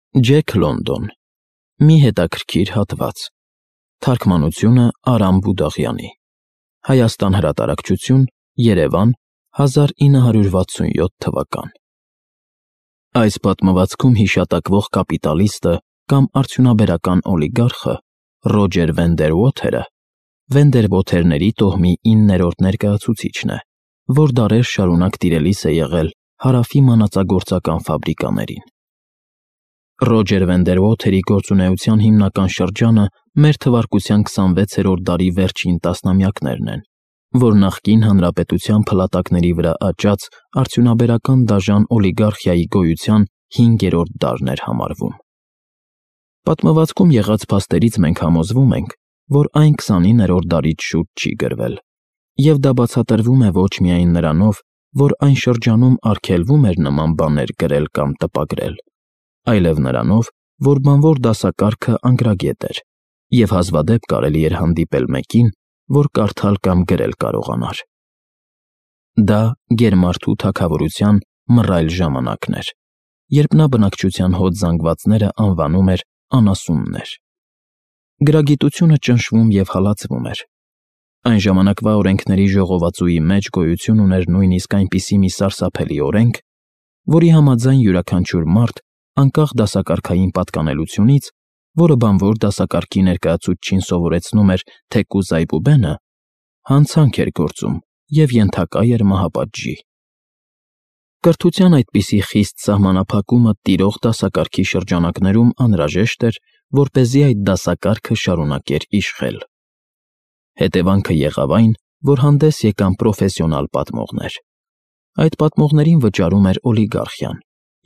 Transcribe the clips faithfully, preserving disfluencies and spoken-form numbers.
Ջեք Լոնդոն։ Մի հետաքրքիր հատված։ Թարգմանությունը Արամ Բուդաղյանի։ Հայաստան հրատարակչություն, Երևան, հազար ինը հարյուր վաթսունյոթ թվական։ Այս պատմվածքում հիշատակվող կապիտալիստը կամ արդյունաբերական օլիգարխը Ռոջեր Վենդերվոթերը Վենդերվոթերների տոհմի իններորդ ներկայացուցիչն է, որ դարեր շարունակ տիրելիս է եղել Հարավի մանածագործական ֆաբրիկաներին։ Ռոջեր Վենդերվոթերի գործունեության հիմնական շրջանը մեր թվարկության քսանվեցերորդ դարի վերջին տասնամյակներն են, որ նախկին հանրապետության փլատակների վրա աճած արդյունաբերական դաժան օլիգարխիայի գոյության հինգերորդ դարն էր համարվում։ Պատմվածքում եղած փաստերից մենք համոզվում ենք, որ այն քսանիններորդ դարից շուտ չի գրվել, և դա բացատրվում է ոչ միայն նրանով, որ այն շրջանում արգելվում էր նման բաներ գրել կամ տպագրել, այլև նրանով, որ բանվոր դասակարգը անգրագետ էր, և հազվադեպ կարելի էր հանդիպել մեկին, որ կարդալ կամ գրել կարողանար։ Դա գերմարդու թագավորության մռայլ ժամանակն էր, երբ նա բնակչության հոտ զանգվածները անվանում էր անասուններ։ Գրագիտությունը ճնշվում և հալածվում էր։ Այն ժամանակվա օրենքների ժողովածուի մեջ գոյություն ուներ նույնիսկ այնպիսի մի սարսափելի օրենք, որի համաձայն յուրաքանչյուր մարդ, անկախ դասակարգային պատկանելությունից, որը բանվոր դասակարգի ներկայացուցչին սովորեցնում էր թեկուզ այբուբենը, հանցանք էր գործում և ենթակա էր մահապատժի։ Կրթության այդպիսի խիստ սահմանափակումը տիրող դասակարգի շրջանակներում անհրաժեշտ էր, որպեսզի այդ դասակարգը շարունակեր իշխել։ Հետևանքը եղավ այն, որ հանդես եկան պրոֆեսիոնալ պատմողներ։ Այդ պատմողներին վճարում էր օլիգարխիան,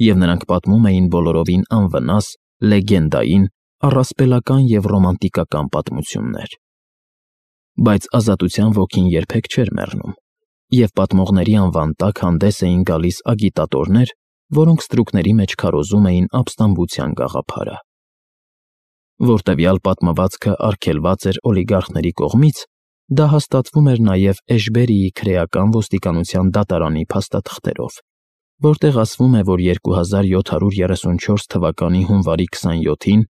և նրանք պատմում էին բոլորովին անվնաս, լեգենդային, առասպելական և ռոմանտիկական պատմություններ։ Բայց ազատության ոգին երբեք չէր մեռնում, և պատմողների անվան տակ հանդես էին գալիս ագիտատորներ, որոնք ստրուկների մեջ քարոզում էին ապստամբության գաղափարը։ Որ տվյալ պատմվածքը արգելված էր օլիգարխների կողմից, դա հաստատվում էր նաև Էշբերիի քրեական ոստիկանության դատարանի փաստաթղթերով, որտեղ ասվում է, որ երկու հազար յոթ հարյուր երեսունչորս թվականի հունվարի քսանյոթին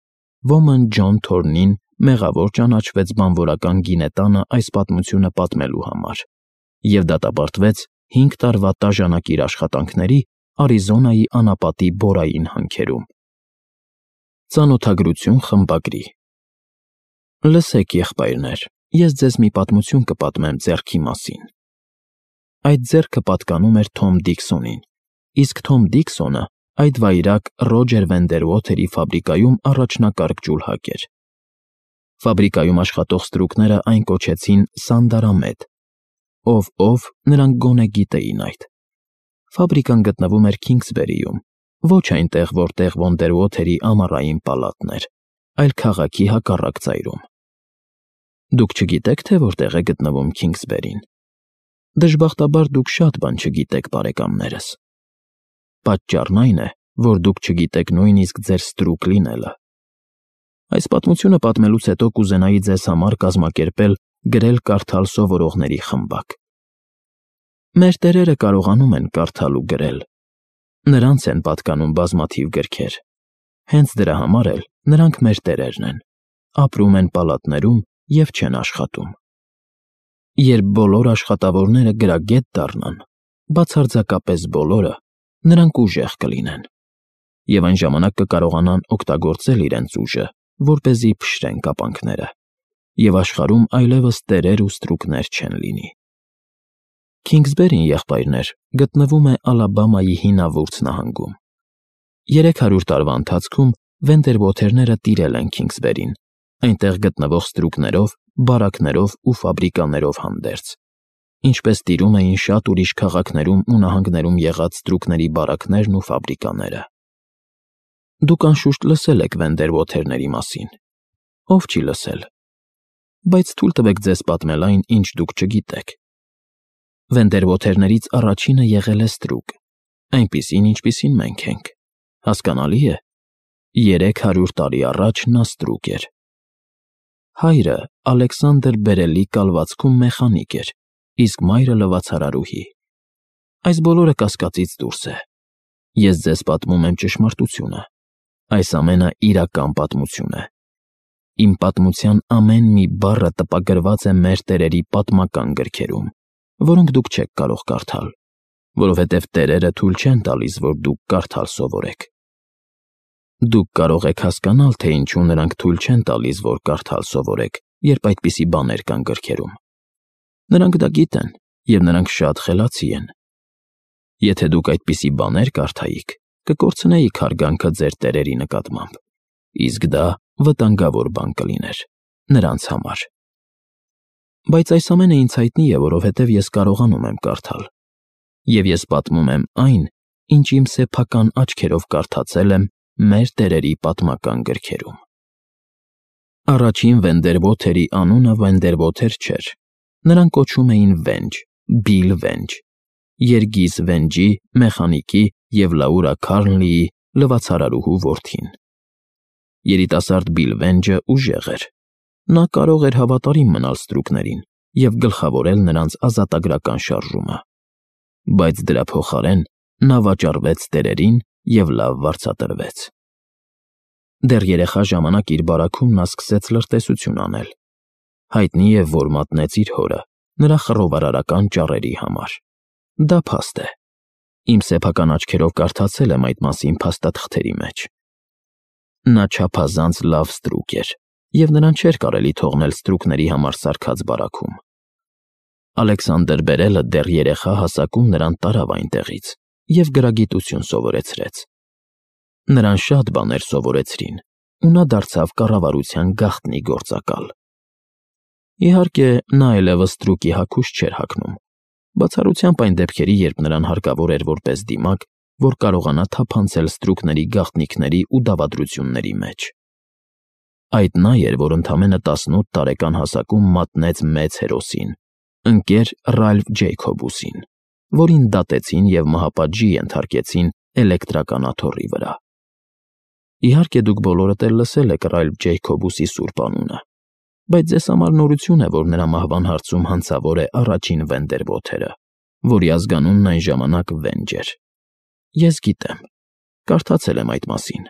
ոմն Ջոն Թորնին մեղավոր ճանաչվեց բանվորական գինետանը այս պատմությունը պատմելու համար, և դատապարտվեց հինգ տարվա տաժանակիր աշխատանքների Արիզոնայի անապատի Բորային հանքերում։ Ծանոթագրություն խմբագրի։ Լսեք, եղբայրներ, ես ձեզ մի պատմություն կպատմեմ ձեռքի մասին։ Այդ ձեռքը պատկանում էր Թոմ Դիքսոնին, իսկ Թոմ Դիքսոնը այդ վայրակ Ռոջեր Վենդերվոթերի ֆաբրիկայում առաջնակարգ ջուլհակ էր։ Ֆաբրիկայում աշխատող ստրուկները այն կոչեցին Սանդարամետ, ով՝ ով նրանք գոնե գիտեին այդ։ Ֆաբրիկան գտնվում էր Քինգսբերիում, ոչ այնտեղ, որտեղ Վենդերվոթերի ամառային պալատն էր, այլ քաղաքի հակառակ ծայրում։ Դուք չգիտե՞ք, թե որտեղ է գտնվում Քինգսբերին։ Դժբախտաբար դուք շատ բան չգիտեք, բարեկամներս։ Պատճառն այն է, որ դուք չգիտեք նույնիսկ ձեր ստրուկ լինելը։ Այս պատմությունը պատմելուց հետո կուզենայի ձեզ համար կազմակերպել գրել֊կարդալ սովորողների խմբակ։ Մեր տերերը կարողանում են կարդալ ու գրել։ Նրանց են պատկանում բազմաթիվ գրքեր։ Հենց դրա համար էլ նրանք մեր տերերն են, ապրում են պալատներում և չեն աշխատում։ Երբ բոլոր աշխատավորները գրագետ դառնան, բացարձակապես բոլորը, նրանք ուժեղ կլինեն, և այն ժամանակ կկարողանան օգտագործել իրենց ուժը, որպեսզի փշրեն կապանքները, և աշխարհում այլևս տերեր ու ստրուկներ չեն լինի։ Քինգսբերին, եղբայրներ, գտնվում է Ալաբամայի հինավուրց նահանգում։ Երեք հարյուր տարվա ընթացքում Վենդերվոթերները տիրել են Քինգսբերին, այնտեղ գտնվող ստրուկներով, բարակներով ու ֆաբրիկաներով հանդերձ, ինչպես տիրում էին շատ ուրիշ քաղաքներում ու նահանգներում եղած ստրուկների բարակներն ու ֆաբրիկաները։ Դուք անշուշտ լսել եք Վենդերվոթերների մասին։ Ով չի լսել։ Բայց թույլ տվեք ձեզ պատմել այն, ինչ դուք չգիտեք։ Վենդերվոթերներից առաջինը եղել է ստրուկ, այնպիսին, ինչպիսին մենք ենք։ Հասկանալի է։ Երեք հարյուր տարի առաջ նա ստրուկ էր։ Հայրը Ալեքսանդր Բերելի կալվածքում մեխանիկ էր, իսկ մայրը լվացարարուհի։ Այս բոլորը կասկածից դուրս է։ Ես ձեզ պատմում եմ ճշմարտությունը։ Այս ամենը իրական պատմություն է։ Իմ պատմության ամեն մի բառը տպագրված է մեր տերերի պատմական գրքերում, որոնք դուք չեք կարող կարդալ, որովհետև տերերը թույլ չեն տալիս, որ դուք կարդալ սովորեք։ Դուք կարող եք հասկանալ, թե ինչու նրանք թույլ չեն տալիս, որ կարդալ սովորեք, երբ այդպիսի բաներ կան գրքերում։ Նրանք դա գիտեն, և նրանք շատ խելացի են։ Եթե դուք այդպիսի բաներ կարդայիք, կկորցնեիք հարգանքը ձեր տերերի նկատմամբ, իսկ դա վտանգավոր բան կլիներ նրանց համար։ Բայց այս ամենը ինձ հայտնի է, որովհետև ես կարողանում եմ կարդալ, և ես պատմում եմ այն, ինչ իմ սեփական աչքերով կարդացել եմ մեր տերերի պատմական գրքերում։ Առաջին Վենդերվոթերի անունը Վենդերվոթեր չէր, նրան կոչում էին Վենջ, Բիլ Վենջ, Երգիզ Վենջի, մեխանիկի և Լաուրա Քարնլիի լվացարարուհու որդին։ Երիտասարդ Բիլ Վենջը ուժեղ էր։ Նա կարող էր հավատարիմ մնալ ստրուկներին և գլխավորել նրանց ազատագրական շարժումը, բայց դրա փոխարեն նա վաճառվեց տերերին և լավ վարձատրվեց։ Դեռ երեխա ժամանակ իր բարաքում նա սկսեց լրտեսություն անել։ Հայտնի է, որ մատնեց իր հորը նրա խռովարարական ճառերի համար։ Դա փաստ է։ Իմ սեփական աչքերով կարդացել եմ այդ մասին փաստաթղթերի մեջ։ Նա չափազանց լավ ստրուկ էր, և նրան չէր կարելի թողնել ստրուկների համար սարքած բարաքում։ Ալեքսանդր Բերելը դեռ երեխա հասակում նրան տարավ այնտեղից և գրագիտություն սովորեցրեց։ Նրան շատ բաներ սովորեցրին, ու նա դարձավ կառավարության գաղտնի գործակալ։ Իհարկե, նա այլևս ստրուկի հագուստ չէր հագնում, բացառությամբ այն դեպքերի, երբ նրան հարկավոր էր որպես դիմակ, որ կարողանա թափանցել ստրուկների գաղտնիքների ու դավադրությունների մեջ։ Այդ նա էր, որ ընդամենը տասնութ տարեկան հասակում մատնեց մեծ հերոսին, ընկեր Ռալֆ Ջեյքոբուսին, որին դատեցին և մահապատժի ենթարկեցին էլեկտրական աթոռի վրա։ Իհարկե, դուք բոլորդ էլ լսել եք Ռալֆ Ջեյքոբուսի սուրբ անունը, բայց ձեզ համար նորություն է, որ նրա մահվան հարցում հանցավոր է առաջին Վենդերվոթերը, որի ազգանունն այն ժամանակ Վենջ էր։ Ես գիտեմ, կարդացել եմ այդ մասին։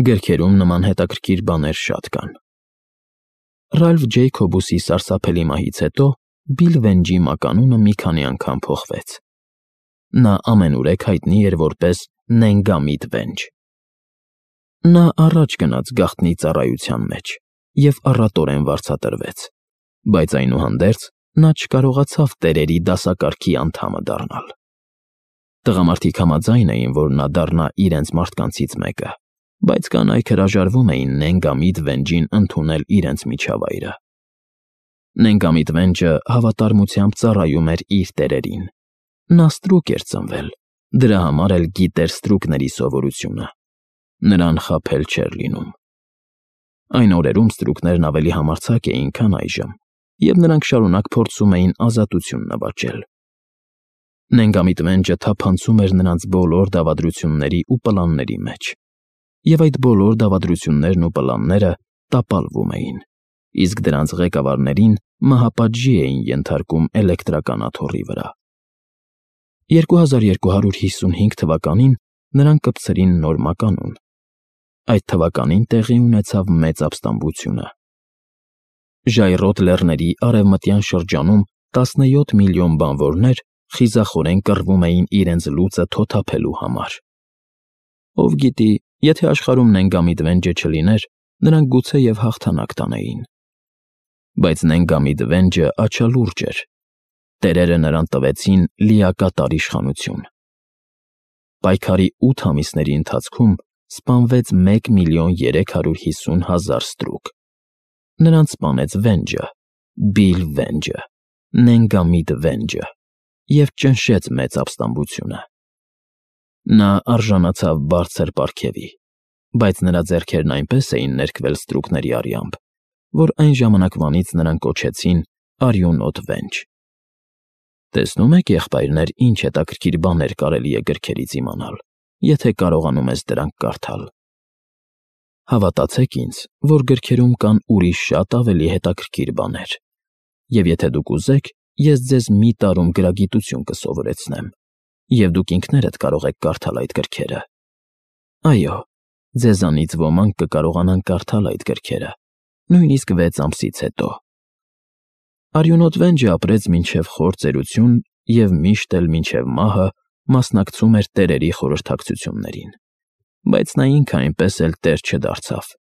Գրքերում նման հետաքրքիր բաներ շատ կան։ Ռալֆ Ջեյքոբուսի սարսափելի մահից հետո Բիլ Վենջի մականունը մի քանի անգամ փոխվեց։ Նա ամենուրեք հայտնի էր որպես Նենգամիտ Վենջ։ Նա առաջ գնաց գաղտնի ծառայության մեջ և առատորեն վարձատրվեց, բայց այնուհանդերձ նա չկարողացավ տերերի դասակարգի անդամը դառնալ։ Տղամարդիկ համաձայն էին, որ նա դառնա իրենց մարդկանցից մեկը, բայց կանայք հրաժարվում էին Նենգամիտ Վենջին ընդունել իրենց միջավայրը։ Նենգամիտ Վենջը հավատարմությամբ ծառայում էր իր տերերին։ Նա ստրուկ էր ծնվել, դրա համար էլ գիտեր ստրուկների սովորությունը։ Նրան խաբել չէր լինում։ Այն օրերում ստրուկներն ավելի համարձակ էին, քան այժմ, և նրանք շարունակ փորձում էին ազատություն նվաճել։ Նենգամիտ Վենջը թափանցում էր նրանց բոլոր դավադրությունների ու պլանների մեջ, և այդ բոլոր դավադրություններն ու պլանները տապալվում էին, իսկ դրանց ղեկավարներին մահապատժի էին ենթարկում էլեկտրական աթոռի վրա։ երկու հազար երկու հարյուր հիսունհինգ թվականին նրան կպցրին նոր մականուն։ Այդ թվականին տեղի ունեցավ մեծ ապստամբությունը։ Ժայռոտ լեռների արևմտյան շրջանում տասնյոթ միլիոն բանվորներ խիզախորեն կռվում էին իրենց լուծը թոթափելու համար։ Ով գիտի, եթե աշխարհում Նենգամիտ Վենջը չլիներ, նրանք գուցեև հաղթանակ տանեին։ Բայց Նենգամիտ Վենջը աչալուրջ էր։ Տերերը նրան տվեցին լիակատար իշխանություն։ Պայքարի ութ ամիսների ընթացքում սպանվեց մեկ միլիոն երեք հարյուր հիսուն հազար ստրուկ։ Նրանց սպանեց Վենջը, Բիլ Վենջը, Նենգամիտ Վենջը և ճնշեց մեծ ապստամբությունը։ Նա արժանացավ բարձր պարգևի, բայց նրա ձեռքերն այնպես էին ներքվել ստրուկների արյամբ, որ այն ժամանակվանից նրան կոչեցին Արյունոտ Վենջ։ Տեսնում եք, եղբայրներ, ինչ հետաքրքիր բաներ կարելի է գրքերից իմանալ, եթե կարողանում ես դրանք կարդալ։ Հավատացեք ինձ, որ գրքերում կան ուրիշ շատ ավելի հետաքրքիր բաներ, և եթե դուք ուզեք, ես ձեզ մի տարում գրագիտություն կսովորեցնեմ, և դուք ինքներդ կարող եք կարդալ այդ գրքերը։ Այո, ձեզանից ոմանք կկարողանան կարդալ այդ գրքերը, նույնիսկ վեց ամսից հետո։ Արյունոտ Վենջը ապրեց մինչև խոր ծերություն և միշտ էլ մինչև մահը մասնակցում էր տերերի խորհրդակցություններին, բայց նա ինքը այնպես էլ տեր չդարձավ։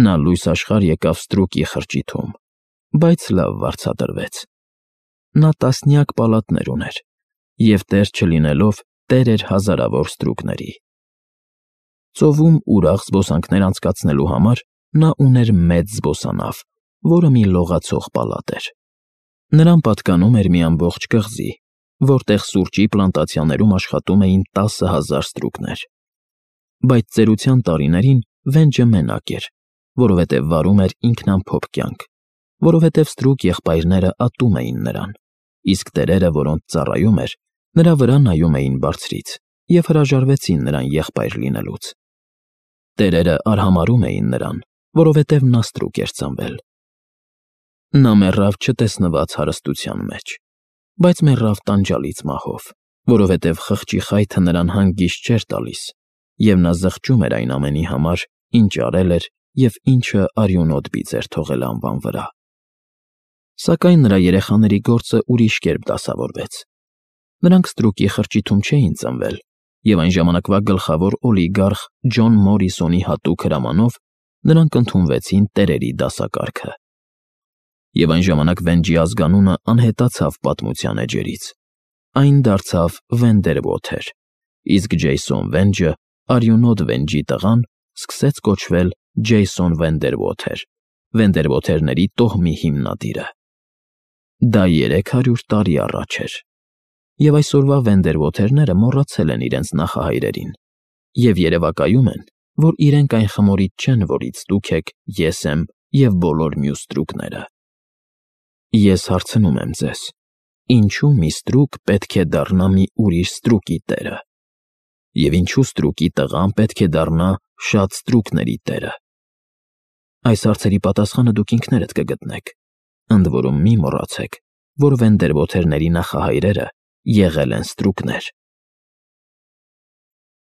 Նա լույս աշխարհ եկավ Ստրուկի խրճիթում, բայց լավ վարձատրվեց։ Նա տասնյակ պալատներ ուներ, և տեր չլինելով տեր էր հազարավոր ստրուկների։ Ծովում ուրախ զբոսանքներ անցկացնելու համար նա ուներ մեծ զբոսանավ, որը մի լողացող պալատ էր։ Նրան պատկանում էր մի ամբողջ կղզի, որտեղ սուրճի պլանտացիաներում աշխատում էին տասը հազար ստրուկներ։ Բայց ծերության տարիներին Վենջը մենակ էր, որովհետև վարում էր ինքնամփոփ կյանք, որովհետև ստրուկ եղբայրները ատում էին նրան, իսկ տերերը, որոնց ծառայում էր, նրա վրա նայում էին բարձրից և հրաժարվեցին նրան եղբայր լինելուց։ Տերերը արհամարհում էին նրան, որովհետև նա ստրուկ էր ծնվել։ Նա մեռավ չտեսնված հարստության մեջ, բայց մեռավ տանջալից մահով, որովհետև խղճի խայթը նրան հանգիստ չէր տալիս, և նա զղջում էր այն ամենի համար, ինչ արել էր և ինչը արյունոտ բիծ էր թողել անվան վրա։ Սակայն նրա երեխաների գործը ուրիշ կերպ դասավորվեց։ Նրանք Ստրուկի խրճիթում չէին ծնվել, և այն ժամանակվա գլխավոր օլիգարխ Ջոն Մորիսոնի հատուկ հրամանով նրանք ընդունվեցին տերերի դասակարգը։ Եվ այն ժամանակ Վենջի ազգանունը անհետացավ պատմության էջերից։ Այն դարձավ Վենդերվոթեր, իսկ Ջեյսոն Վենջը, արյունոտ Վենջի տղան, սկսեց կոչվել Ջեյսոն Վենդերվոթեր, Վենդերվոթերների տոհմի հիմնադիրը։ Դա երեք հարյուր տարի առաջ էր։ Եվ այսօրվա Վենդերվոթերները մոռացել են իրենց նախահայրերին և երևակայում են, որ իրենք այն խմորից չեն, որից դուք եք, ես եմ և բոլոր մյուս ստրուկները։ Ես հարցնում եմ ձեզ. ինչու՞ մի ստրուկ պետք է դառնա մի ուրիշ ստրուկի տերը, և ինչու՞ ստրուկի տղան պետք է դառնա շատ ստրուկների տերը։ Այս հարցերի պատասխանը դուք ինքներդ կգտնեք, ընդ որում մի մոռացեք, որ Վենդերվոթերների նախահայրերը եղել են ստրուկներ։